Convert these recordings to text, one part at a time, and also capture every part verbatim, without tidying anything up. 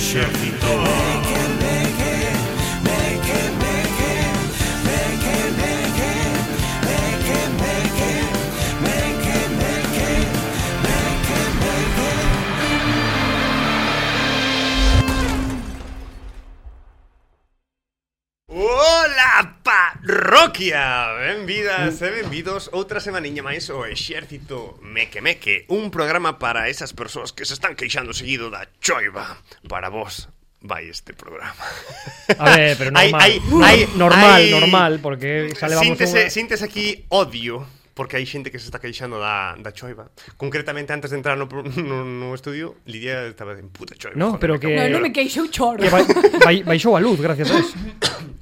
exército. Ola, parroquia! Benvidas e benvidos outra semaniña máis ao Exército Meque Meque, un programa para esas persoas que se están queixando seguido da choiva. Para vos vai este programa. A ver, pero normal. Hay, hay, hay, normal, hay... normal, porque xa levamos síntese, unha... síntese aquí odio, porque hai xente que se está queixando da, da choiva. Concretamente, antes de entrar no, no, no estudio, Lidia estaba en puta choiva. No, pero que... No, non me queixou choro. Que vai, vai, baixou a luz, gracias a eso.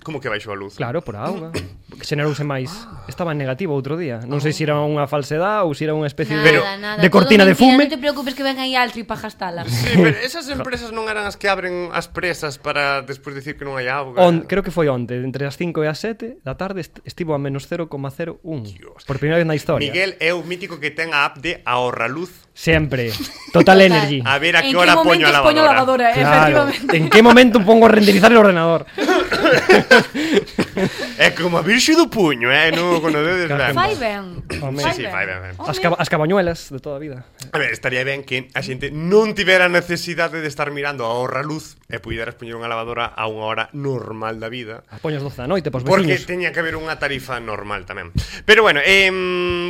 Como que baixou a luz? Claro, por a auga. Xenerouse máis. Estaba en negativo outro día. Non sei se era unha falsedade ou se era unha especie nada, de, nada, de cortina de fume. Non te preocupes que ven aí Altri para gastala. Sí, pero esas empresas non eran as que abren as presas para despois dicir que non hai auga. On, creo que foi onte, entre as cinco e as sete da tarde est estivo a menos cero coma cero un. Por primeira vez na historia. Miguel é o mítico que ten a app de ahorra luz. Sempre. Total Energy. A ver a que hora poño a lavadora. Poño a lavadora, claro. Efectivamente. En que momento pongo a renderizar el ordenador? É como a virxe do puño, eh, no, con o dedo claro. Fai ben. Sí, sí, fai ben, ben. As, caba, as cabañuelas de toda a vida. A ver, estaría ben que a xente non tivera necesidade de estar mirando a ahorra luz e puderas poñer unha lavadora a unha hora normal da vida. A poñas doce da noite pos veciños. Porque veciños. teña que haber unha tarifa normal tamén. Pero bueno, eh,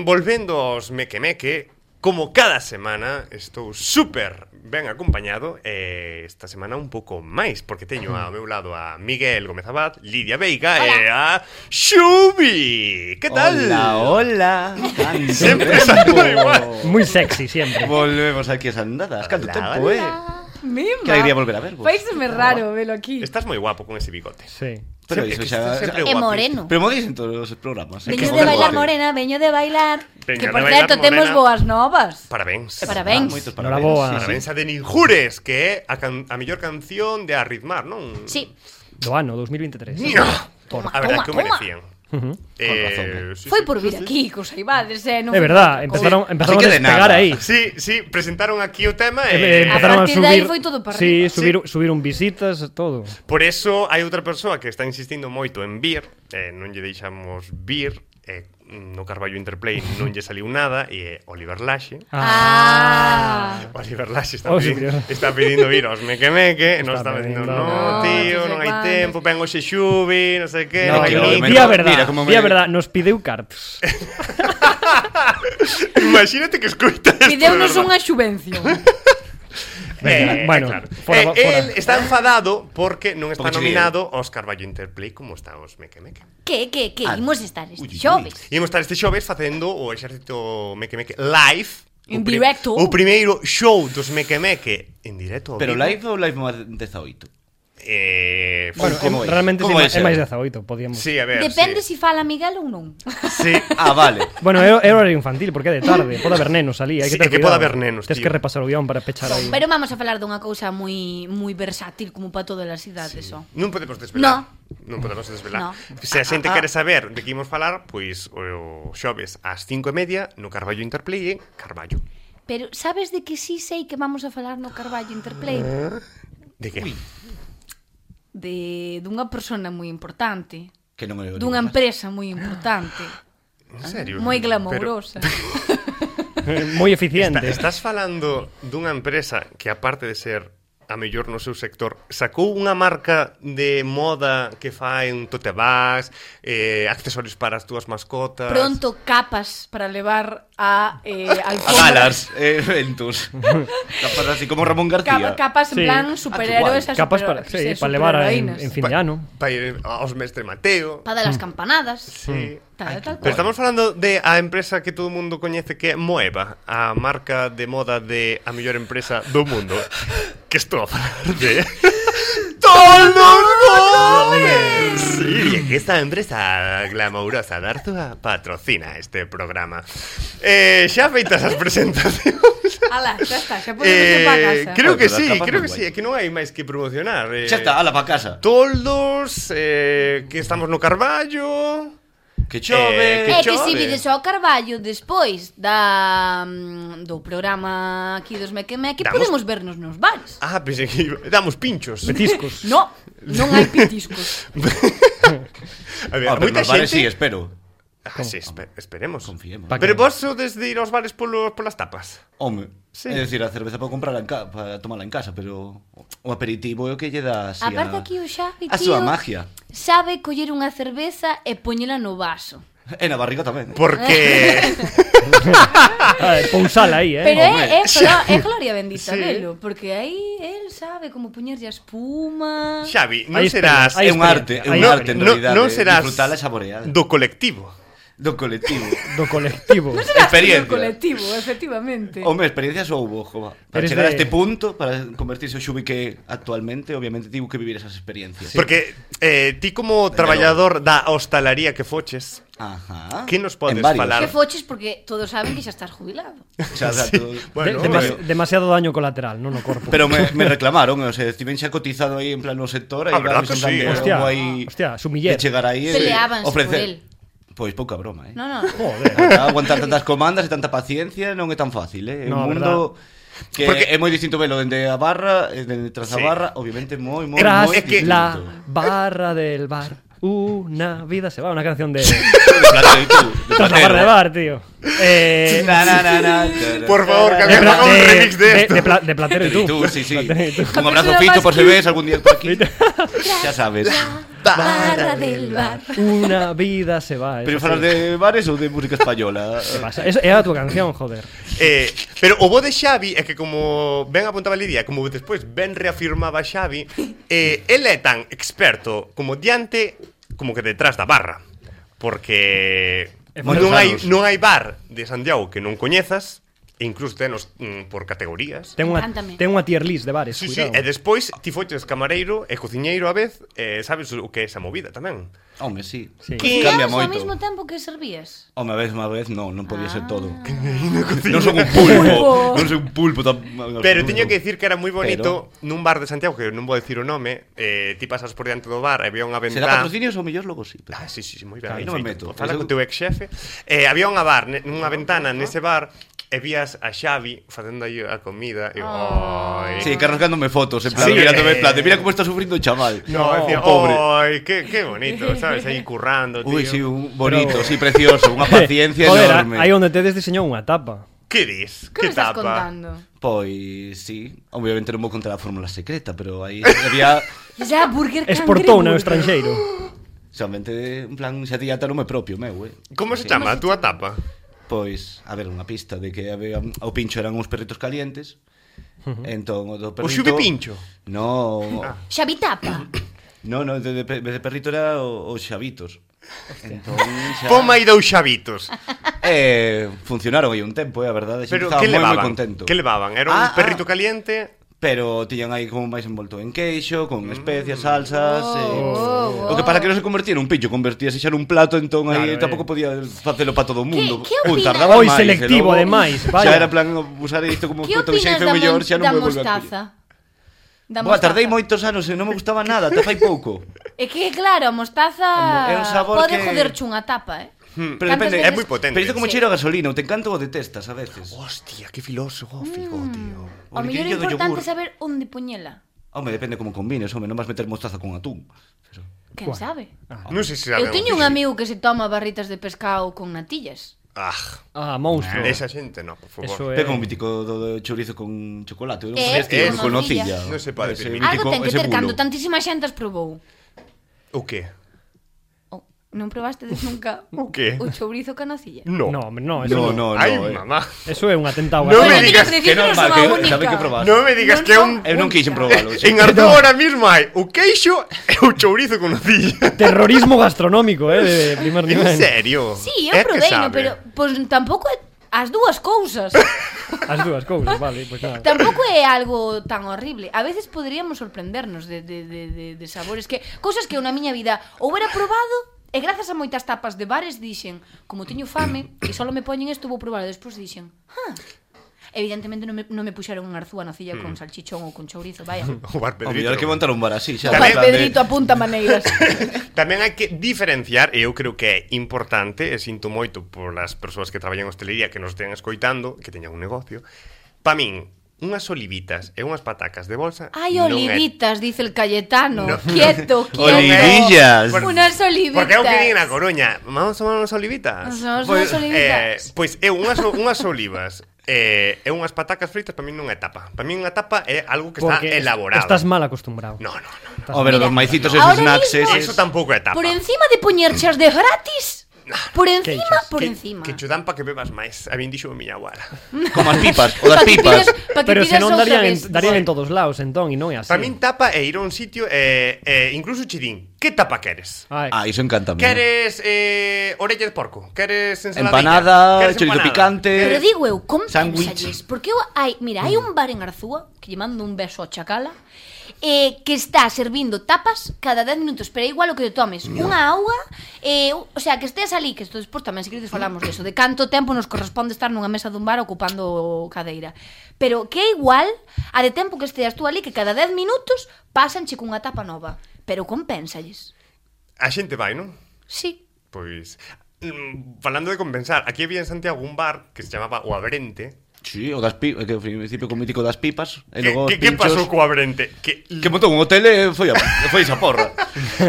volvendo aos Meque Meque, como cada semana estou super ben acompañado, e esta semana un pouco máis, porque teño ao meu lado a Miguel Gómez Abad, Lidia Veiga e a Xubi. Que tal? Hola, hola. Sempre salgo igual. Muy sexy, sempre. Volvemos aquí a Sandadas. Canto tempo, eh? Mima. Que alegría volver a ver vos. Paíseme raro velo aquí. Estás moi guapo con ese bigote. Sí. Pero sí, iso xa é moreno. Pero modis en todos os programas. Veño de bailar morena, veño de bailar. Venga, que por de certo, temos boas novas. Parabéns. Parabéns. Ah, moitos parabéns. parabéns. Parabéns a Denis Jures, que é a, can a mellor canción de Arritmar, non? Sí. Do ano dos mil veintitrés. No. Toma, A verdade que o toma, merecían. Uh-huh. Eh, razón, sí, Foi sí, por sí, vir sí. aquí, cos Aibades, eh, non É verdad, empezaron, empezaron Así a que de despegar nada. aí. Sí, sí, presentaron aquí o tema E, e... empezaron a, A partir de aí subir, foi todo para sí, arriba. subir, subiron visitas, todo. Por eso hai outra persoa que está insistindo moito en vir, eh, non lle deixamos vir, eh, no Carballo Interplay non lle saliu nada, e é Oliver Laxe. Ah. Oliver Laxe está, Oh, pedindo, sí, está pedindo vir aos Meque Meque, e non Está está dicindo, pedindo. no, No, tío, non sei non hai cuándo. tempo, ven hoxe Xubi, non sei que, No, non hai no, luz. me- di a verdad, mira como di a me- verdad, nos pideu cartos. Imagínate que escoita esto. Pideunos de verdad. unha subvención. Venga, Eh, bueno, claro. fora, eh, fora. El está enfadado porque non está Porque nominado aos Carballo Interplay como está os Meque Meque. Que, que, que, Ah. imos estar este Uy, uy, xoves. Imos estar este xoves facendo o Exército Meque Meque live. En o pri- directo. O primeiro show dos Meque Meque en directo. ao Pero vivo. live ou live máis dezaoito? Eh, Bueno, como em, é? realmente Como sí, vai é ser? máis dezaoito, podíamos. sí, a ver. Depende sí. si fala Miguel ou non. Sí. Ah, vale. Bueno, é é horario infantil, porque é de tarde, pode haber nenos ali, hai Sí, que ter é que cuidado. pode haber nenos, Tens tío. que repasar o guión para pechar aí. Pero vamos a falar dunha cousa moi moi versátil como para todas as idades, só. Non podemos desvelar. Non podemos desvelar. No. Se a xente Ah, ah. quere saber de que imos falar, pois o xoves ás cinco e media no Carballo Interplay en Carballo. Pero sabes de que sí sei que vamos a falar no Carballo Interplay? De que? De dunha persona moi importante, Que non é o dunha Nicolás. empresa moi importante, En serio? moi Pero glamourosa. Moi eficiente. Está, estás falando dunha empresa que aparte de ser a mellor no seu sector, sacou unha marca de moda que fai un tote bags, eh, accesorios para as túas mascotas. Pronto capas para levar a eh, A alfombra. galas, eh, eventos. Capas así como Ramón García. Capa, capas en Sí. plan superhéroes, Ah, Capas super, para, sí, para levar a- en, en fin de ano. Para ir aos Mestre Mateo. para dar as campanadas. Sí. Tal, tal, Pero cual. estamos falando de a empresa que todo o mundo coñece que é Moeva, a marca de moda de a mellor empresa do mundo. Que estou a falar de Toldos Gómez. Sí, que esta empresa glamourosa de Arzúa patrocina este programa. Eh, xa feitas as presentacións. Ala, xa está, xa podemos ir para Eh, casa. creo que Joder, sí, las capas creo moi que sí, guai. é que non hai máis que promocionar. Eh, Xa está, ala pa casa. Toldos, eh, que estamos no Carballo. Que chove, Eh, É que que se chove. vides ao Carballo despois da mm, do programa aquí dos Mequemeque, Damos- podemos vernos nos bares. Ah, pensei que iba- damos pinchos. Petiscos. No, non hai pitiscos. A ver, Ah, pero moita nos bares xente... sí, espero. Ah, sí, espe- esperemos. Confiemos. Pa- Pero vos sodes de ir aos bares polo, polas tapas? Home, Sí. é dicir, a cerveza para comprarla en ca para tomarla en casa, pero o aperitivo é o que lle dá así Aparte a, aquí o Xavi, a tío, súa magia. sabe coller unha cerveza e poñela no vaso. E na barriga tamén. Porque... Ah, pousala aí, eh. Pero Home, é, é, glo- é gloria bendita Sí. velo, porque aí el sabe como poñerlle a espuma. Xavi, non Hai serás... experiencia, hai É un arte, é un No- arte en no- realidade. non serás disfrutala e saboreala. do colectivo. Do colectivo. Do colectivo. Serás experiencia. do colectivo, efectivamente. Home, experiencia soubo, jova. Para Eres chegar a de- este punto, para convertirse o Xubi que actualmente, obviamente tivo que vivir esas experiencias. Porque eh, ti como traballador da hostalaría que foches, Ajá. Que nos podes En varios. falar? Que foches porque todos saben que xa estás jubilado. Xa, xa, Sí. todo. Bueno, De- demas- pero- demasiado daño colateral, non no corpo. Pero me, me reclamaron, o sea, estiven xa cotizado aí en plan no sector, aí Ah, verdad vamos que en plan sí, de, eh. Hostia, como aí hostia, sumiller. de chegar aí e Peleábanse por ofrecer. él. Pois pouca broma, eh. No, no. Joder. Aguantar tantas comandas e tanta paciencia non é tan fácil, eh. É No, un mundo que Porque- é moi distinto velo dende a barra, e dende tras a Sí. barra, obviamente moi moi Tras moi é que- distinto. la barra del bar, una vida se va. Una canción de... De platero, tú, de Tras la platero. barra del bar, tío. Eh... Na, na, na, na, Por favor, que de, alguén pla- haga un de- remix de de- esto. de pla- de Platero y tú. tú, sí, sí. Platero y tú. Un abrazo Persona Fito más por si que- ves algún día por aquí. Xa sabes. Barra del bar. Una vida se va. Pero eso falar sí. de bares ou de música española? ¿Qué pasa? Es, era tu canción, joder. Eh, pero o bo de Xavi é que como ben apuntaba Lidia, como despois ben reafirmaba Xavi, eh, el é tan experto como diante como que detrás da barra. Porque É non moitos hai, anos. non hai bar de Santiago que non coñezas, e incluso tenos mm, por categorías. Ten unha, Encántame. ten unha tier list de bares, Sí, sí, cuidado. e despois ti foches camareiro e cociñeiro a vez, eh, sabes o que é esa movida tamén. Home, sí. Sí. Que- Cambia Cambia ao moito. mesmo tempo que servías. Home, a vez, unha vez, non, non podía ser todo. Ah. Non son un pulpo, Pulpo. non son un pulpo tan... Pero teño que decir que era moi bonito Pero- nun bar de Santiago, que non vou decir o nome, eh, ti pasas por diante do bar e había unha Será ventá. patrocinios ou mellor logo sí. Pero... Ah, sí, sí, sí, moi ben. Aí aí non me feito. meto. Fala Eu- co teu ex xefe. Eh, había unha bar, ne- nunha ventana nese bar, e vías a Xavi facendo aí a comida e Oh. oi. Sí, cargándome fotos, en plan, Sí, mirándome en eh. plan, de, mira como está sufrindo o chaval. No, decía, pobre. oi, que, que bonito, sabes, aí currando, tío. Ui, sí, un bonito, Pero- sí, precioso, unha paciencia Joder, enorme. aí onde tedes diseñou unha tapa. Que dis? Que Que me estás tapa? contando? Pois, sí, obviamente non vou contar a fórmula secreta, pero aí había Ya, Burger Exportou no Cangreburger. estranxeiro. somente, en plan, xa tía nome propio meu, eh. Como se Sí. chama a túa tapa? Pois, a ver, unha pista de que había, o pincho eran uns perritos calientes. Entón, o do perrito... xubi pincho? No, Xavi tapa. no, no, de, de, pe- de perrito era o- os xavitos. Entón, xa... Poma aí dous xavitos. Eh, funcionaron aí un tempo, eh, a verdade, xa Pero estaba que moi, moi levaban? contento. Que levaban? Era un Ah, perrito ah. caliente? Pero tiñan aí como máis envolto en queixo, con especias, salsas, Oh, eh. oh, O que para que non se convertía en un pincho, convertíase xa nun plato, entón aí Claro, tampouco eh. podía facelo para todo o mundo. Que- que Un opinas? tardaba Oi, máis, selectivo, e logo ademais, Xa vaya. era plan usar isto como Que puto opinas xefe da, mellor, mon- xa non da me volve a mostaza? Da Boa, mostaza. tardei moitos anos e non me gustaba nada, ata fai pouco. É que, claro, a mostaza É un sabor pode que- joderche unha tapa, eh? Hmm, Pero Cantas depende, é veces- moi potente. Pero isto como Sí. cheiro a gasolina, ou te encanta ou detestas a veces. Hostia, que filosófico, tío. O mellor é liquillo do importante yogur. saber onde poñela. Home, depende como combines, home, non vas meter mostaza con atún. Pero... Quen Buah. sabe? Non sei se Eu teño un amigo que se toma barritas de pescado con natillas. Ah, Ah, monstro. esa xente no, por favor. Eso É é... como un mítico do, do chorizo con chocolate. Non Eh, sabías que eh, eu con nocilla. nocilla. Non se pode Ese permitir. Algo mítico- ten que ese ter bulo. cando tantísima xente as probou. O que? Oh, non probastedes nunca O que? o chourizo ca nocilla? No. No, hombre, no, eso No, no. no, no. Ai, eh. mamá. Eso é un atentado. No a- me Bueno, digas teño Que decir non, non va, son a que única. sabe que probaste. Non me digas Non que é son un... Eu non quixen probalo. En Arturo ahora mismo hai o queixo e o chourizo con nocilla. Terrorismo gastronómico, eh, de primer En nivel. serio? Sí, É eu que provei, no, sabe. pero pois tampouco é as dúas cousas. As dúas cousas, vale, pois nada. Tampouco é algo tan horrible. A veces poderíamos sorprendernos de, de, de, de, de sabores que cousas que eu na miña vida ou era probado e grazas a moitas tapas de bares dixen, como teño fame e só me poñen isto vou probar, e despois dixen, ah, Evidentemente non me, non me puxeron un arzúa na cilla mm. con salchichón ou con chourizo, vaya. O bar O Pedrito. mellor hai que montar un bar así, xa. O bar Pedrito apunta maneiras. Tamén hai que diferenciar, e eu creo que é importante, e sinto moito polas persoas que traballan en hostelería que nos estean escoitando, que teñan un negocio. Pa min, unhas olivitas e unhas patacas de bolsa. Ai, olivitas, é... dice el Cayetano. No. Quieto, quieto. Olivillas. Por, unas olivitas. Porque eu que vin na Coruña, vamos a tomar unhas olivitas. Vamos Pois, unhas olivitas. Eh, pois eu unhas, unhas olivas eh, e unhas patacas fritas para min non é tapa. Para min unha tapa é algo que Porque está elaborado. Estás mal acostumbrado. No, no, no. O ver, Mira, os maicitos e ahora os snacks mismo- eses. Eso tampouco é tapa. Por encima de poñerchas de gratis. Por encima, Queixas. por que, encima. Que chudan pa que bebas máis. A min dixo a miña abuela. Como as pipas, o das Pa que pipas. pidas- pa que Pero pidas senón outra darían en, vez. darían en todos lados, entón, e non é así. Para min tapa é ir a un sitio e eh, eh, incluso chidín. Que tapa queres? Ai. Ah, iso encanta a mí. Queres eh, orella de porco? Queres ensaladilla? Empanada, Queres chorizo empanada? picante. Pero digo eu, Sándwich. compensalles. Porque eu, hai, mira, hai un bar en Arzúa que lle mando un beso a Chacala eh, que está servindo tapas cada dez minutos, pero é igual o que te tomes unha auga, eh, o sea, que estés ali, que isto despois tamén se queredes falamos deso, de canto tempo nos corresponde estar nunha mesa dun bar ocupando cadeira. Pero que é igual a de tempo que esteas tú ali, que cada dez minutos pasanche cunha tapa nova. Pero compensalles. A xente vai, non? Sí. Pois, mm, falando de compensar, aquí había en Santiago un bar que se chamaba O Abrente. Sí, o das pipas, que ao principio co mítico das pipas, e Que, logo os que, que pinchos. pasou co Abrente? Que, Que montou un hotel e foi a, foi esa porra.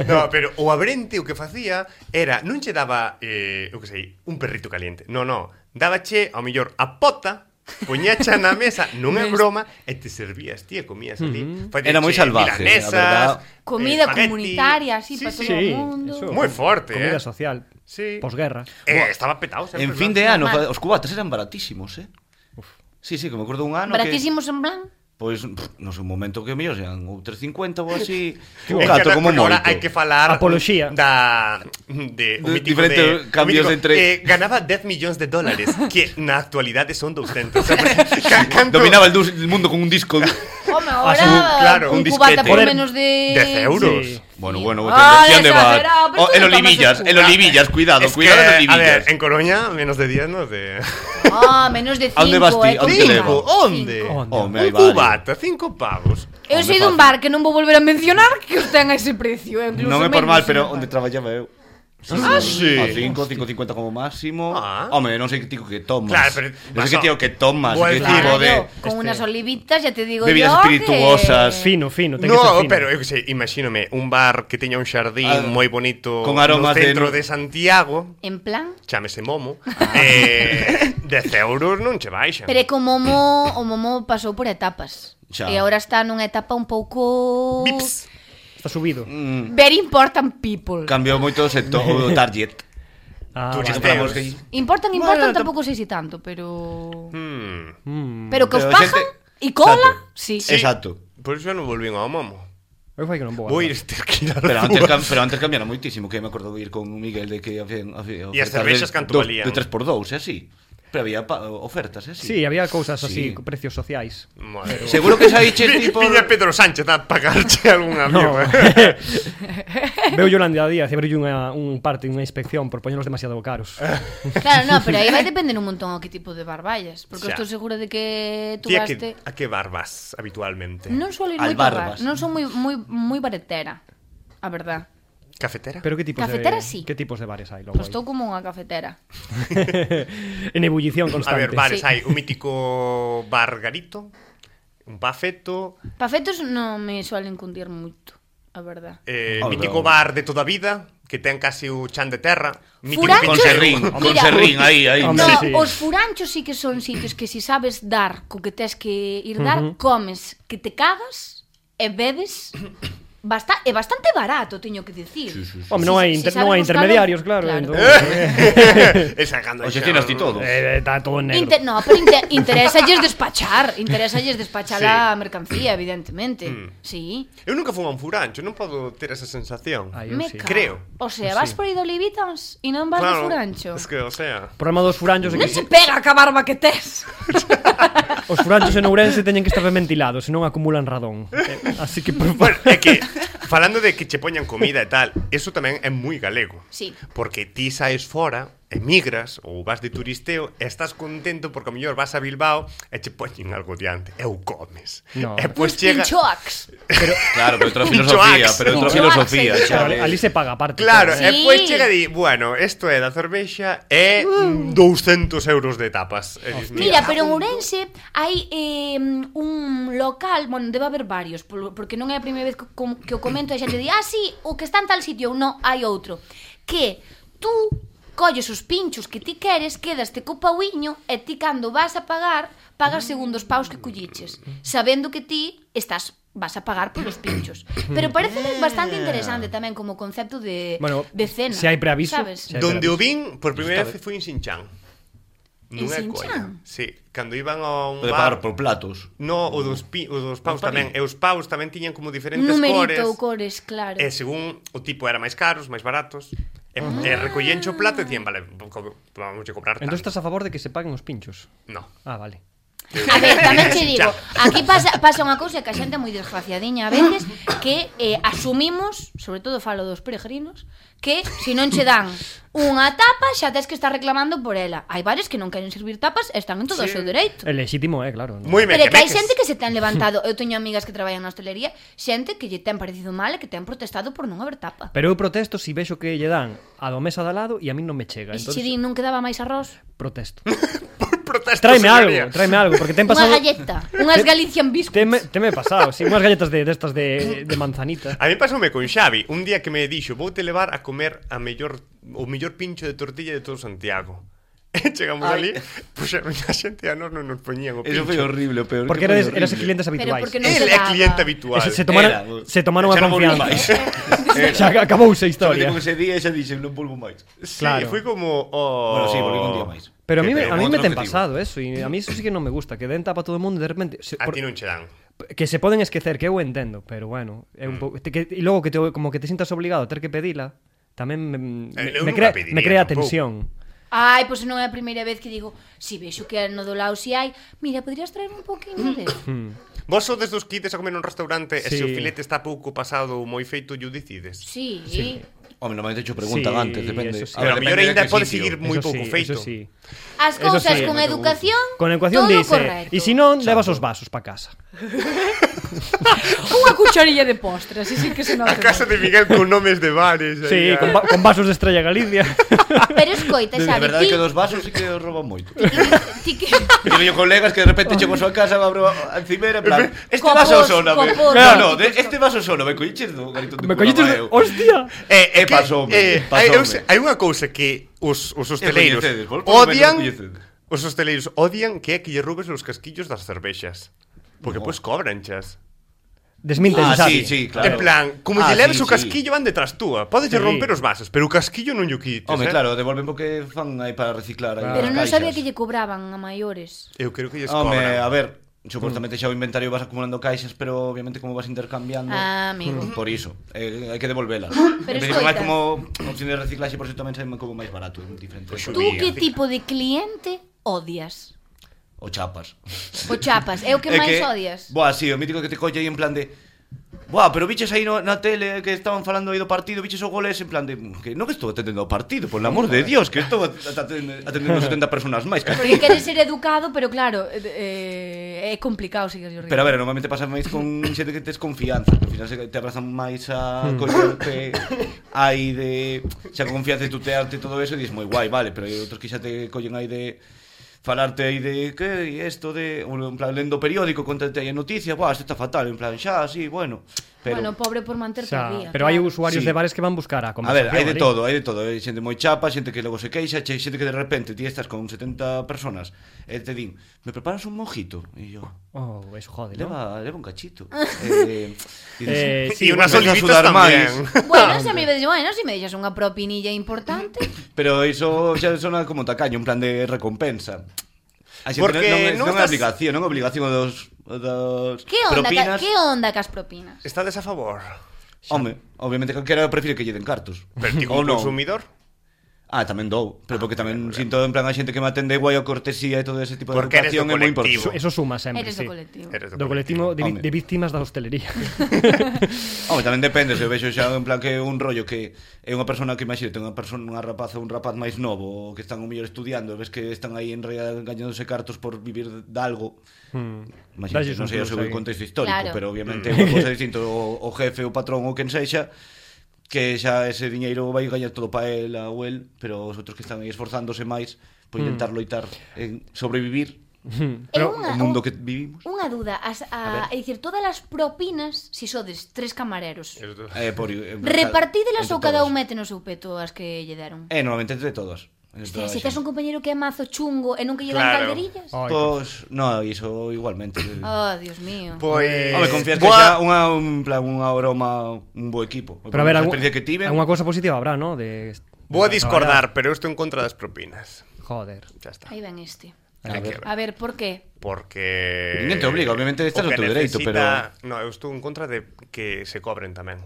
no, pero o Abrente o que facía era, non che daba, eh, eu que sei, un perrito caliente. No, no, dábache ao mellor a pota, poñacha na mesa, non é broma, e te servías, tía, comías ali. Uh-huh. Era moi salvaje, milanesas, a verdad. Comida espagueti. comunitaria, así, Sí, para sí. todo Sí, o mundo. eso. Moi forte, Comida eh. social. Sí. Posguerra. Eh, estaba petado sempre. En fin ¿no? de ano, Normal. os cubatas eran baratísimos, eh? Sí, sí, que me acordo un ano Baratísimos en plan. que... Pois, pff, non sei, un momento que mellor sean ou tres cincuenta ou así. É Un que gato ahora- como bueno, ahora moito. hai que falar Apoloxía. da de, o De mítico diferentes de, cambios o mítico, entre- eh, ganaba dez millóns de dólares, que na actualidade son doscientos. O sea, ca- canto- Dominaba el, dus- el mundo con un disco. Home, ahora Así, claro, un un cubata disquete. por Poder- menos de... dez euros. Sí. Bueno, bueno, Ah, te de bar. exagerado, pero Oh, tú el no tomas Olivillas, el el cuba. Olivillas, cuidado, Es cuidado que, el a Olivillas. ver, en Coruña menos de diez, no de Ah, menos de cinco. ¿A dónde vas ti? eh, ¿A dónde con te cinco. levo? ¿Onde? Cinco. Onde? Home, aí Un vale. cubata, cinco pavos. Eu Onde sei dun fácil. bar que non vou volver a mencionar que os ten a ese precio. eh, incluso Non é por menos, mal, pero non. onde traballaba eu. Ah, sí. A cinco, cinco cincuenta como máximo. Ah. Home, non sei que tico que tomas. Claro, pero non sei que tío que tomas, Vou a que decir, tipo Claro, de con este- unas olivitas, ya te digo bebidas yo espirituosas. que... Fino, fino, ten que ser No, fino. pero eu que sei, imagínome un bar que teña un xardín Ah, moi bonito con aromas no de centro no- de, Santiago, En plan... chámese Momo, eh, dez euros non che baixan. Pero é que o Momo, o Momo pasou por etapas. Xa. E agora está nunha etapa un pouco... Vips. Está subido. mm, Very important people. cambiou moito o sector, o target. Ah, Tú vale. Compramos Teos. que Importan, importan, Bueno, tampouco sei si tanto, pero... Hmm. Mm. Pero que os Pero a pagan xente- e cola, Exacto. sí. Sí. Exacto. Por iso non volvín ao Momo. Eu fai que non vou. Vou a ir ter que ir a Pero antes, Rúas. cam, pero antes cambiaron moitísimo, que me acordo de ir con Miguel de que había, había E as ofertas cervexas de canto dos- valían? De tres por dous, e así. Pero había pa, ofertas, e así. Sí, había cousas así, Sí. precios sociais. Madre. Seguro que saíche Vi- ti por... Viña Pedro Sánchez a pagarche algunha No. birra. Veo Yolanda Díaz e abriu unha un parte, unha inspección por poñelos demasiado caros. Claro, no, pero aí vai depender un montón a que tipo de bar vayas. Porque Xa. estou segura de que tú Tía, vaste... que, a que bar vas habitualmente? Non suelo ir Al moito a bar, bar vas. non son moi moi moi baretera, a verdad. Cafetera? Pero que tipos Cafetera de sí. que tipos de bares hai logo? Pois estou como unha cafetera. En ebullición A constante. ver, bares, Sí. hai un mítico bar Garito, un Pafeto, Pafetos non me suelen cundir moito, a verdad. eh, Oh, mítico no. bar de toda a vida, que ten casi o chan de terra, mítico Furanchos- Con serrín, con Mira. serrín, aí, aí. Hombre, No, sí. os furanchos sí que son sitios que si sabes dar co que tes que ir dar, Ujú. comes que te cagas e bebes basta é bastante barato, teño que dicir. Sí, sí, sí. Home, non hai Si- si inter, sabes non hai buscalo, intermediarios, claro, claro. entón. E sacando O xestinas ti todo. Eh, está todo en negro. Inter, no, pero inter, interésalles despachar, interésalles despachar Sí. a mercancía, evidentemente. Mm. Sí. Eu nunca fun a un furancho, non podo ter esa sensación. Ai, eu Me sí. cago. Creo. O sea, vas por aí de Olivitas e non vas de furancho. Es que, o sea... O problema dos furanchos é Non que se pega a barba que tes. os furanchos en Ourense teñen que estar ben ventilados, senón acumulan radón. Eh, así que por Bueno, favor. é que falando de que che poñan comida e tal, eso tamén é moi galego. Sí. Porque ti saes fora, emigras ou vas de turisteo e estás contento porque a mellor vas a Bilbao e che poñen algo diante e o comes. No. E pois Uns chega... pinchoax. Pero, Claro, pero outra Un filosofía, choax. pero outra Un filosofía, choax, xa. pero ali se paga aparte. Claro, todo, e Sí. pois chega e di, bueno, isto é da cervexa e mm, douscentos euros de tapas. E dis, Mira, pero en Ourense hai eh, un local, bueno, debe haber varios, por- porque non é a primeira vez que, com- que o comento e a xente di, ah, sí, o que está en tal sitio, non, hai outro. Que tú colles os pinchos que ti queres, quedaste co pauiño e ti cando vas a pagar, pagas segundo os paus que colliches, sabendo que ti estás vas a pagar polos pinchos. Pero parece bastante interesante tamén como concepto de, Bueno, de cena. se hai preaviso, sabes? se hai Donde o preaviso. vin por primeira Está vez foi en Xinchán. En Non é Xinchán? colla. Sí, cando iban a un Pode bar... pagar por platos. No, o dos, pi, o dos paus Os tamén. panis. E os paus tamén tiñan como diferentes Numerito cores. ou cores, claro. E según o tipo era máis caros, máis baratos. E, Ah. e recollían o plato e dicían, vale, co- vamos a cobrar tanto. Entón estás a favor de que se paguen os pinchos? No. Ah, vale. A ver, tamén che digo, aquí pasa, pasa unha cousa que a xente é moi desgraciadiña a veces, que eh, asumimos, sobre todo falo dos peregrinos, que se non che dan unha tapa xa tes que estar reclamando por ela. Hai bares que non queren servir tapas e están en todo o Sí. seu dereito. É legítimo, é, claro. ¿no? Moi Pero é que hai mequemeques. xente que se ten levantado. Eu teño amigas que traballan na hostelería, xente que lle ten parecido mal e que ten protestado por non haber tapa. Pero eu protesto si vexo que lle dan a do mesa de al lado e a mí non me chega. E se Entonces, che din non quedaba máis arroz? protesto. Protesto, Tráeme señoría. algo, tráeme algo, porque ten Unha pasado... galleta, unhas Galician biscuits. Teme, teme pasado, sí, unhas galletas de destas de, de manzanita. A mí pasoume con Xavi, un día que me dixo, voute levar a comer a mellor o mellor pincho de tortilla de todo Santiago. E chegamos Ai. ali, pois a xente a nós non nos poñían o pincho. Eso foi horrible, o peor. Porque que foi eras, eras horrible. clientes Pero habituais. porque non El se é daba. cliente habitual. Eso, se tomaron, Era, se tomaron a xa non volví confianza. máis. Xa acabouse a Historia. historia. Ese día xa dixen, non volvo máis. Sí, Claro. foi como oh... Bueno, sí, volví un día máis. Pero a mí, Que- me- pero a mí con me outro ten objetivo. pasado eso, e a mí eso sí que non me gusta, que den tapa a todo o mundo e de repente... Se, A por- ti non che dan. que se poden esquecer, que eu entendo, pero bueno, é un pouco, te, que, e logo que te, como que te sintas obligado a ter que pedila, tamén me, me, Eu me, nunca crea, pediría, me crea tampouco. tensión. Ai, pois non é a primeira vez que digo, si vexo que no do lado si hai, mira, podrías traer un poquinho de... Vos sodes dos que ides a comer nun restaurante e se Sí. o filete está pouco pasado ou moi feito, yo decides. Sí, Sí. Home, normalmente cho preguntan Sí, antes, depende. eso sí. Pero a ver, mellor depende de ainda que pode sitio. seguir moi Eso pouco sí, feito. Eso sí. As Eso cousas sí, con me educación, Con ecuación todo dice, correcto. e si non, levas os vasos pa casa. Unha cucharilla de postre, así sí que se nota. A casa de Miguel con nomes de bares. Sí, aí, con, a- va- con vasos de Estrella Galicia. Pero escoita, De Xavi, verdade ti, que dos vasos sí que os roban moito. ti que... Teño yo colegas que de repente chego a súa casa, abro a encimera, en plan, este Copos, vaso sóname. copos, No, no, copos. de, este vaso sóname, colliches do garito de me collites de... Curamao. Hostia! Eh, Eh, pasoume, eh, hai, pasoume. eu sei- hai unha cousa que os, os hosteleiros coñecedes, vos por lo menos odian coñecedes. os hosteleiros odian que é que lle robes os casquillos das cervexas. Porque No. pois cobranchas. Desminten, Ah, Xavi. sí, sí, claro. En plan, como Ah, lle leves sí, o casquillo van detrás túa. Podes lle Sí. romper os vasos, pero o casquillo non lle quites, Home, eh? claro, devolven porque fan aí para reciclar aí Pero as non caixas. sabía que lle cobraban a maiores. Eu creo que lles Home, cobran. a ver, supostamente xa o inventario vas acumulando caixas, pero obviamente como vas intercambiando, Ah, amigo. por iso, eh, hai que devolvelas. Pero En principio, máis escoita. como opción de reciclaxe, por eso tamén sai como máis barato, en diferente. Pois Tú Subía. que tipo de cliente odias? O chapas. O chapas, é o que É máis odias? Buah, sí, o mítico que te colle aí en plan de buah, pero biches aí no, na tele que estaban falando aí do partido, biches o goles en plan de que non que estou atendendo ao partido, por el amor de Dios, que estou atendendo, atendendo setenta personas máis. Que... Porque queres ser educado, pero claro, eh, é complicado seguir o ritmo. Pero a ver, normalmente pasa máis con xente que tes confianza, que ao final se te abrazan máis a collerte aí de xa con confianza de tutearte e todo eso e dis moi guai, vale, pero hai outros que xa te collen aí de falarte aí de que isto de en plan lendo o periódico, contate aí a noticia, buah, isto está fatal, en plan xa, sí, bueno, pero Bueno, pobre por manterte Xa, al día. pero hai claro. usuarios Sí. de bares que van buscar a a conversación. ver, hai de ali. todo, hai de todo, hai xente moi chapa, xente que logo se queixa, che- xente que de repente ti estás con setenta personas e te din, "Me preparas un mojito?" E yo, Oh, eso jode, ¿no? leva, leva un cachito. eh, e dices, Eh, E sí, unhas bueno, olivitas sudar tamén. Bueno, se me dices, bueno, se me deixas unha propinilla importante. Pero iso xa sona como tacaño, en plan de recompensa. A xente Porque non, non, non non é estás- obligación, non é obligación dos, dos Que onda, propinas. ca, que onda cas propinas? Estades a favor? Home, obviamente calquera prefire que lle den cartos. Pero ti Ou como non. consumidor? Ah, tamén dou, pero porque tamén sinto en plan a xente que me atende guai a cortesía e todo ese tipo de Porque eres educación do é moi colectivo. importante. Eso suma sempre, Eres sí. do colectivo. Eres Do colectivo de, vi- Home. de víctimas da hostelería. Home, tamén depende, se eu vexo xa en plan que é un rollo que é unha persona que imagínate, unha persona, unha rapaza, un rapaz máis novo que están o mellor estudiando, e ves que están aí en realidad gañándose cartos por vivir de algo. Hmm. Imagínate, Dalles non un sei o plus seu aí. contexto histórico, Claro. pero obviamente é unha cousa distinta o, o jefe, o patrón ou quen sexa, que xa ese diñeiro vai gañar todo para el ou el, pero os outros que están aí esforzándose máis por intentar loitar en sobrevivir É Pero unha, o mundo que vivimos. unha duda, as, a, A é dicir, todas as propinas, si sodes tres camareros, Eres do- Eh, por, eh, repartídelas entre ou cada un todos. mete no seu peto as que lle deron? Eh, normalmente entre todos. Entre Hostia, toda a se tes xente. un compañeiro que é mazo chungo e nunca lle dan Claro. calderillas? Ai, Pois, no, iso igualmente. Oh, Dios mío. Pois... Home, confías que Boa- xa unha, un plan, unha broma, un bo equipo. Pero a ver, a algún- experiencia que tiven... alguna cosa positiva habrá, ¿no? De, Vou a de discordar, pero eu estou en contra das propinas. traballar. Joder. Xa está. Aí ven este. Hai que ver. A ver, por qué? Porque... Ninguén te obliga, obviamente estás o no que teu dereito, necesita- No, eu estou en contra de que se cobren tamén.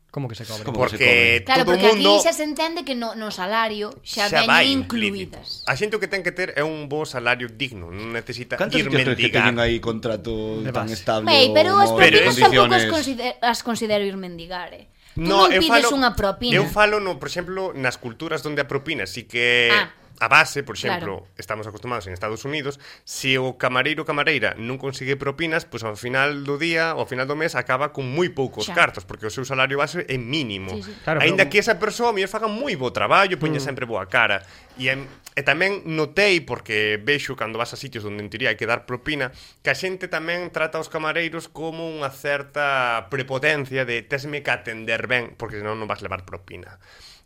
¿Cómo que se cobra? ¿Cómo? que se Porque Claro, todo o porque mundo... aquí xa se entende que no, no salario xa, xa vai veñen implícito. incluídas. A xente o que ten que ter é un bo salario digno, non necesita Cantos ir sitios crees que mendigar. teñen aí contrato De tan base. estable? Mei, pero as ou Pero propinas eso- tampouco as, condiciones? consider as considero ir mendigar, eh. Tú No, non eu pides falo, unha propina. Eu falo, no, por exemplo, nas culturas onde a propina sí que Ah. a base, por exemplo, Claro. estamos acostumados en Estados Unidos, se o camareiro ou camareira non consigue propinas, pois ao final do día, ao final do mes acaba con moi poucos Xa. cartos, porque o seu salario base é mínimo. Sí, sí. Claro, Aínda pero- que esa persoa mellor faga moi bo traballo, poña sempre boa cara. E, em, e tamén notei, porque vexo cando vas a sitios onde en teoría hai que dar propina, que a xente tamén trata aos camareiros como unha certa prepotencia de tesme que atender ben, porque senón non vas levar propina.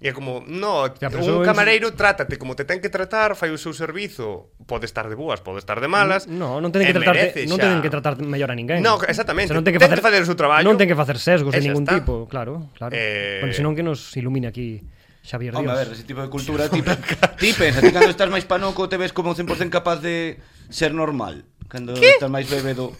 E é como, no, Ya, pero un eso es- camareiro trátate como te ten que tratar, fai o seu servizo, pode estar de boas, pode estar de malas. No, non ten e que tratarte, merece non xa- ten que tratar mellor a ninguén. No, exactamente. O sea, non ten que Ten facer, que facer o seu traballo. Non ten que facer sesgos E de xa ningún está. tipo, claro, claro. Eh, Porque senón que nos ilumine aquí Xavier Home, Dios. a ver, ese tipo de cultura ti, ti pensa, ti cando estás máis panoco te ves como cen por cento capaz de ser normal. Cando estás máis bebedo,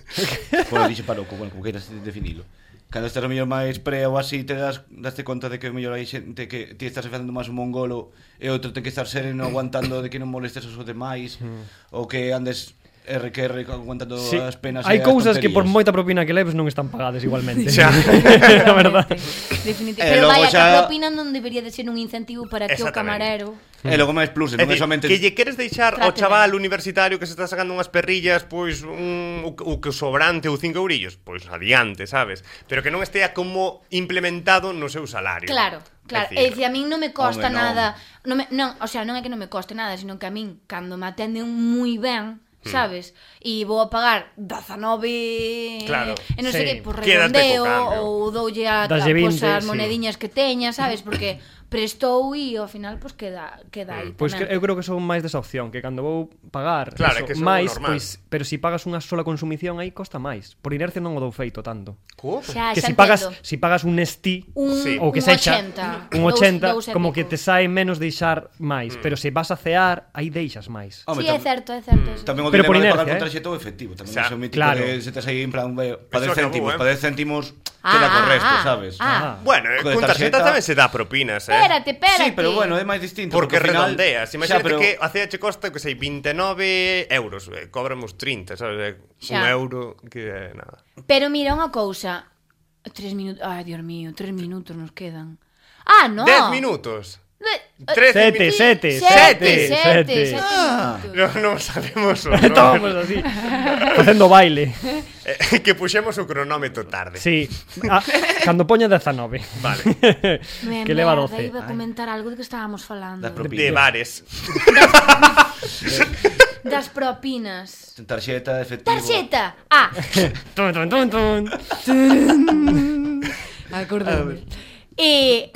bueno, dixe panoco, bueno, como queiras definilo. Cando estás a mellor máis pre ou así te das daste conta de que mellor hai xente que ti estás facendo máis un mongolo e outro ten que estar sereno aguantando de que non molestes aos demais ou que andes R que R aguantando Sí, as penas hai e as cousas que por tonterías. moita propina que leves non están pagadas igualmente. Xa. A verdade. Definitivamente. E Pero logo vaya, xa- que a propina non debería de ser un incentivo para que o Exactamente. camarero... E logo máis plus, É non é dicir, somente que lle queres deixar ao Trate chaval ben. universitario que se está sacando unhas perrillas, pois un, o, que- o que sobrante ou cinco eurillos, pois adiante, sabes? Pero que non estea como implementado no seu salario. Claro, claro. É É dicir, dicir, a min non me costa Home, non. nada. Non, me, non, o sea, non é que non me coste nada, sino que a min, cando me atenden moi ben, sabes? E vou a pagar dezanove Claro. e non sei Sí. que, por Quédate redondeo co cambio. ou doulle a, a Daslle pues, vinte, as sí. monediñas que teña, sabes? Porque prestou e ao final pues queda queda aí Pois que, tamén. eu creo que son máis desa opción, que cando vou pagar Claro, é eso, que eso é máis, normal. pois, pero se si pagas unha sola consumición aí costa máis. Por inercia non o dou feito tanto. Como? Xa, que xa si pagas, entendo. si pagas un Nestí un, Sí. ou que un sexa ochenta, un dous- ochenta, dous e como pico. que te sae menos deixar máis, pero se vas a cear, aí deixas máis. Home, Sí, é tam- certo, é certo. é certo. Tamén o Pero por dinero de pagar inercia, con eh. tarxeta ou efectivo. Tamén Xa, é mítico claro. que se tes aí en plan eh, pa Eso dez acabou, céntimos, eh. pa dez céntimos Ah, queda con ah, resto, ah, sabes? ah. Bueno, eh, Co de con tarxeta tarxeta- tamén se dá propinas, eh? Espérate, espérate. Sí, pero bueno, é máis distinto Porque ao final- redondeas. Xa, Imagínate pero- que a C H costa, que sei, veintenove euros. Eh, cobramos trinta, sabes? Eh, Un Xa. euro que é nada. Pero mira unha cousa. Tres minutos. Ai, Dios mío, tres minutos nos quedan. Ah, no. Dez minutos. De- Trece Sete, minutos. sete, Sete, sete, sete, sete. sete Ah. minutos. No, non sabemos o Estamos nome. así, facendo baile. Eh, que puxemos o cronómetro tarde. Sí, ah, cando poña dezanove. Vale. Me que leva merda, doce. Iba a comentar algo de que estábamos falando. Das propinas. De bares. Das propinas. Tarxeta, efectivo. Tarxeta. Ah, Tun, tun, tun, tun. acordame. Eh,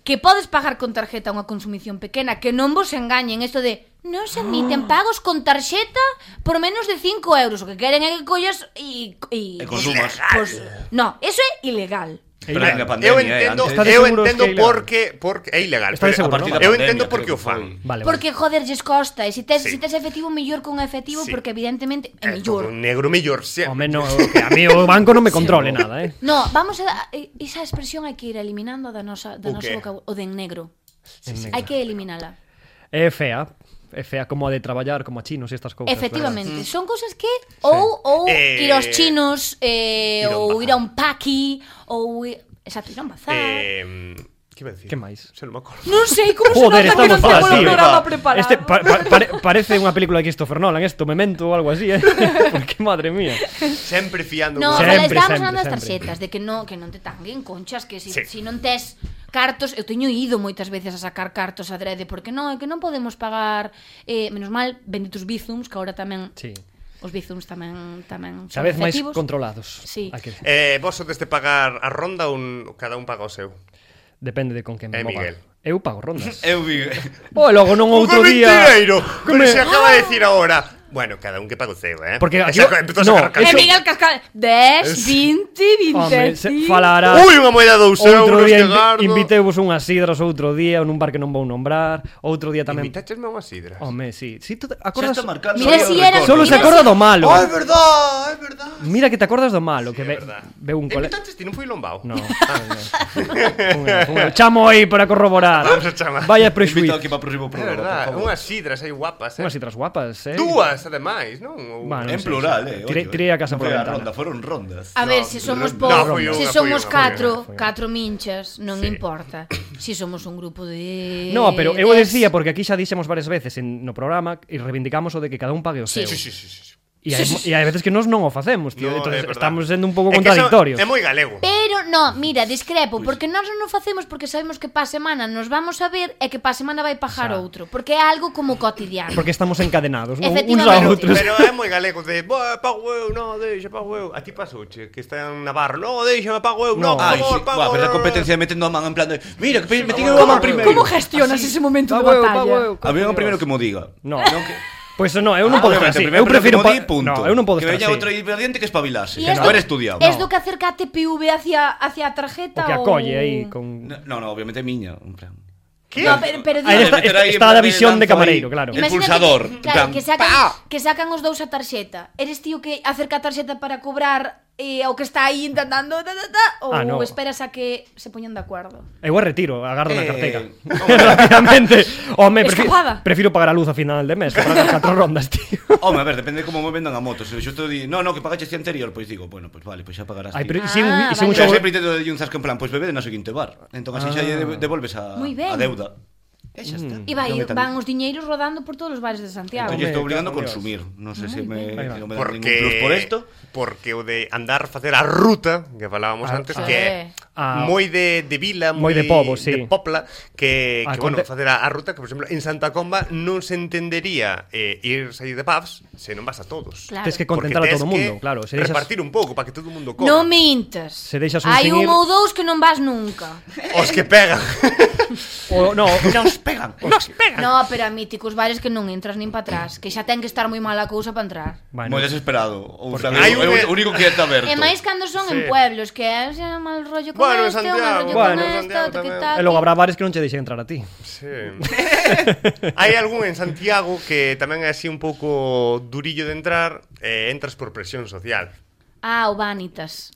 que podes pagar con tarxeta unha consumición pequena, que non vos engañen isto de non se admiten pagos con tarxeta por menos de cinco euros. O que queren é que collas e... E consumas. Pues, no, eso é ilegal. É Pero ilegal. na pandemia, Eu eh, entendo, antes- Estades eu seguros entendo que é ilegal? porque porque é ilegal. Estades pero seguros, a partir non? da eu Pandemia, entendo creo porque que o fan. foi. Vale, Porque, joder, lles costa. E se tes, Sí. si tes efectivo, mellor con efectivo, Sí. porque evidentemente é Eh, todo mellor. negro mellor. Se... Home, no, que a mí o banco non me controle nada, eh. No, vamos a... Esa expresión hai que ir eliminando da nosa, da O nosa qué? boca. O de en negro. En negro. Hai que eliminala. É fea. É fea como a de traballar como a chinos e estas cousas. Efectivamente, son cousas que ou ou Eh, ir aos chinos eh, ir a un ou bazar. ir a un paqui ou i- exacto, ir a un bazar. Eh, que iba a decir? Que máis? Se non me acordo. Non sei como Joder, se nota que non estamos temos fatal, o tío. programa preparado. Este pa, pa, pare, parece unha película de Christopher Nolan, esto, Memento ou algo así, eh? Porque, madre mía. Sempre fiando. No, con- pero Sempre, estábamos sempre, falando das sempre. tarxetas, de que non que non te tanguen conchas, que si, Sí. si non tes cartos, eu teño ido moitas veces a sacar cartos adrede, porque non, é que non podemos pagar, eh, menos mal, benditos bizums, que agora tamén Sí. os bizums tamén tamén son Cada vez máis efectivos. controlados. Sí. Hai que- Eh, vos sodes de pagar a ronda ou un, cada un paga o seu? Depende de con quen me Eh, mova. Miguel. Eu pago rondas. Eu vi... O logo non outro ¡Que día. mentireiro! Que Pero me- se acaba de decir ahora. Bueno, cada un que paga o seu, eh? Porque E aquí- saca- empezou a no, sacar E eso- cartas. Miguel Cascal, dez, vinte, Home, vinte se e cinco. falará. Ui, unha moeda de dous Outro euros día que invi gardo. inviteuvos unhas sidras outro día, nun bar que non vou nombrar. Outro día tamén. Invitachesme a unhas sidras. Home, sí. Si tú te Xa acordas. está marcando. Mira aí o si era- recordo. Solo se Mira acorda si- do malo. Oh, é verdad, é verdad. Mira que te acordas do malo, que É ve, verdad. veu un cole. Invitaches ti, non foi lombao? No. Un erro, un erro. Chamo aí para corroborar. Vamos a chamar. Vaya Invito prexuizo. aquí para o próximo É programa, verdad, por favor. unhas sidras aí guapas, eh? Unhas citras guapas, eh. Dúas, ademais, non? Ou- Bueno, En non sei, plural, sí. eh. Tirei- oye, tirei a casa non por foi a a ventana. ronda, foron rondas. A ver, No, se somos no, po, foi unha, se foi somos unha, foi catro, unha, foi unha. catro minchas, non Sí. importa. Si somos un grupo de No, pero eu o dez. decía porque aquí xa dixemos varias veces en, no programa e reivindicamos o de que cada un pague o Sí. seu. Sí, sí, sí, sí. E hai, e hai veces que nós non o facemos, tío. No, Entonces é verdad. estamos sendo un pouco É que eso contradictorios. É moi galego. Pero, no, mira, discrepo, porque nós non o facemos porque sabemos que pa semana nos vamos a ver e que pa semana vai pagar Xa. outro, porque é algo como cotidiano. Porque estamos encadenados, non? Uns a Efectivamente. outros. Pero é moi galego de, "Boa, pago eu, no, deixa, pago eu." A ti pasouche, que está en Navarro, "No, deixa, pago eu, no, No. por Ai, favor, sí, pago va, pero a eu." competencia metendo a man en plan de mira, que pe- metín eu a Como, man primeiro. como gestionas ese momento de Pago eu, batalla? pago eu. A mí é o primeiro que mo diga. No. Non que... Pois no, eu non Ah, podo estar obviamente, así. primeiro Eu prefiro que mo pa... di, punto. No, eu non podo que estar veña así. outro ingrediente que espabilase, E que esto- non haber estudiado. Es No. do que acerca a T P V hacia, hacia a tarjeta O que ou- acolle aí con... No, no, obviamente é miña, en plan. Que? No, pero, pero Aí digo, está, meter aí está en a plan visión de lanzo camareiro, aí. claro. El imagínate pulsador, que, en claro, plan, que sacan, ¡pa! que sacan os dous a tarxeta. Eres tío que acerca a tarxeta para cobrar eh, o que está aí intentando ta, ta, ta, ou Ah, no. esperas a que se poñan de acuerdo? Eu a retiro, agardo na Eh, carteira. Rápidamente. Home, prefi Escapada. prefiro pagar a luz a final de mes, para as catro rondas, tío. Home, a ver, depende de como me vendan a moto. Se xusto di, no, no, que pagaches ti anterior, pois digo, bueno, pois vale, pois xa pagarás Ai, ti. pero si un, Ah, si un vale. Pero xogo... sempre intento de un zasco en plan, pois bebede na seguinte bar. Entón así xa lle Ah. de- devolves a, Moi ben. a deuda. E xa está. E vai, Non é tan- van os diñeiros rodando por todos os bares de Santiago. Entón lle estou Home, obligando a cago en consumir. Non sei se me, Aí va. non me dan Porque ningún plus por esto. porque o de andar facer a ruta que falábamos Ah, antes ah. que é Ah. moi de, de vila, Moi de pobo, sí. de popla que, Ah, que bueno, conte- facer a, a ruta que por exemplo en Santa Comba non se entendería eh, ir sair de pubs se non vas a todos. Claro. Tes que Porque contentar a tes todo o mundo, que claro. Se deixas... repartir un pouco para que todo o mundo coma. Non mintas. Se deixas un Hai sin un ir- ou dous que non vas nunca. Os que pegan. O, no, Nos pegan. Nos pegan. No, pero a míticos bares que non entras nin para atrás, que xa ten que estar moi mala a cousa para entrar. bueno, Moi desesperado. Ou Porque sea, hai é un- o único que está aberto. E máis cando son Sí. en pueblos, que é xa mal rollo con Bueno, en este, o mal Santiago, rollo bueno, con en este, Santiago o que tamén. tal. e logo habrá bares que non che deixen entrar a ti. Sí. Hai algún en Santiago que tamén é así un pouco durillo de entrar e eh, entras por presión social. Ah, o Vanitas.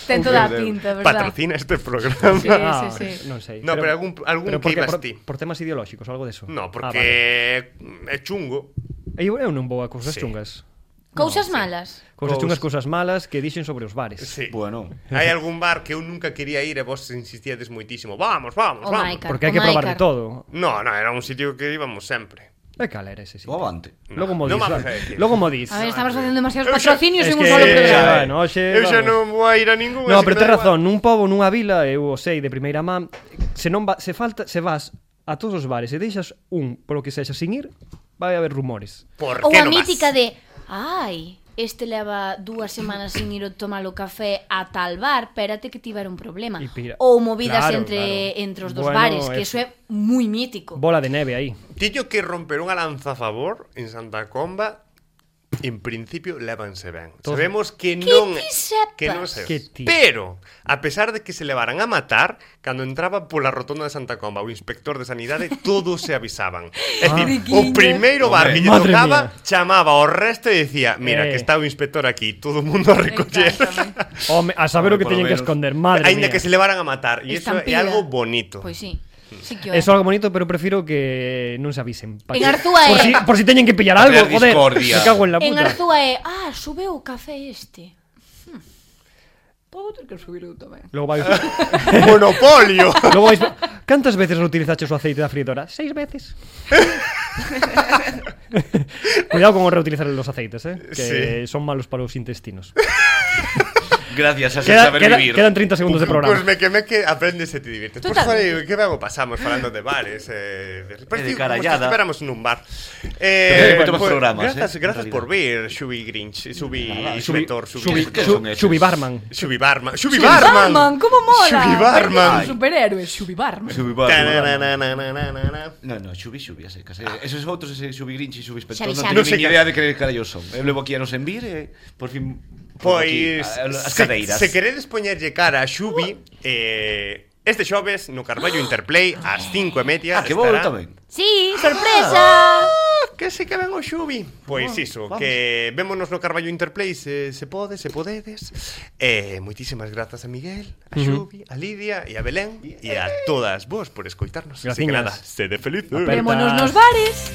Ten toda a pinta, verdad? Patrocina este programa. Sí, ah, sí, sí. Non sei. No, pero algún- algún pero que porque, ibas por, ti. por temas ideolóxicos, algo deso. No, Ah, vale. porque é chungo. Eu, eu non vou a cousas Sí. chungas. Cousas sí. malas. Cousas Cous- chungas, cousas malas que dixen sobre os bares. Sí. Bueno. Hai algún bar que eu nunca quería ir e vos insistíades moitísimo. Vamos, vamos, O vamos. Maica. Porque hai que O probar Maicar. de todo. No, no, era un sitio que íbamos sempre. E cal era ese sitio? O avante. Logo mo non dis. vamos vale. a decir. Logo mo dis. A ver, estamos facendo demasiados Eu xa- patrocinios Es en un que- solo programa. Bueno, hoxe, Eu xa vamos. non vou a ir a ningún. No, así pero que tes da razón, igual. nun pobo, nunha vila, eu o sei de primeira man, se non va, se falta, se vas a todos os bares e deixas un polo que sexa sin ir, vai haber rumores. Por Ou que a non vas? mítica de ai, este leva dúas semanas sin ir a tomar o café a tal bar, espérate que tiver un problema. E pira- Ou movidas Claro, entre claro. entre os dos Bueno, bares, que eso. eso é moi mítico. Bola de neve aí. Tillo que romper unha lanza a favor en Santa Comba. En principio lévanse ben. Todos- Sabemos que non ti sepas. que non se. Que ti. Pero a pesar de que se levaran a matar, cando entraba pola rotonda de Santa Comba o inspector de sanidade, todos se avisaban. É Ah. dicir, o primeiro bar que lle Madre tocaba mía. chamaba ao resto e dicía, mira, Eh. que está o inspector aquí, todo o mundo a recoller. Exactamente. Home, a saber o que Por lo teñen que menos. esconder, madre Aínda mía. que se levaran a matar, e iso é Estampida. algo bonito. Pois sí. Sí que o é. Eso é algo bonito, pero prefiro que non se avisen. Pa En que- Arzúa por é- si, por si teñen que pillar Pa algo, crear joder. discordia. Me cago en la En puta. Arzúa é, ah, subeu o café este. Hmm. Podo ter que subir eu tamén. Logo vai... Monopolio. Logo vais... Cantas veces reutilizaches o aceite da freidora? Seis veces. Cuidado con reutilizar los aceites, eh? Que Sí. son malos para os intestinos. Gracias a ese Queda, saber queda, vivir. quedan treinta segundos de programa. Pues me que me que aprendes e te divirtes. Pues Totalmente. joder, que ben o pasamos falando de bares, eh, de, E de como carallada. se esperamos nun bar. Pero Eh, moitos máis programas, grazas, eh, grazas en por vir, Xubi Grinch, Xubi Nada, Inspector, Xubi, Xubi ¿Qué Xu- son esos? Xubi Barman. Xubi Barman, Xubi Barman, Barman. como mola. Xubi Barman. Un superhéroe, Xubi Barman. Xubi Barman. Tanananananana. No, no, Xubi Xubi, así, casi. Esos outros, ese Xubi Grinch e Xubi Inspector, Xavi, non Xavi. teño Non sei nin que- idea de que carallos son. Eu levo aquí a nos envir e por fin pongo aquí Pois a- as se, cadeiras. se queredes poñerlle cara a Xubi, eh, este xoves no Carballo Interplay ás cinco e media Ah, que vou eu estará- tamén. Sí, sorpresa. Ah, que se que ven o Xubi. Pois Ah, iso, vamos. que vémonos no Carballo Interplay se, se pode, se podedes. Eh, moitísimas grazas a Miguel, a Xubi, a Lidia e a Belén e a todas vos por escoitarnos. Así que Graciñas. nada, sede felices. Aperta. Vémonos nos bares.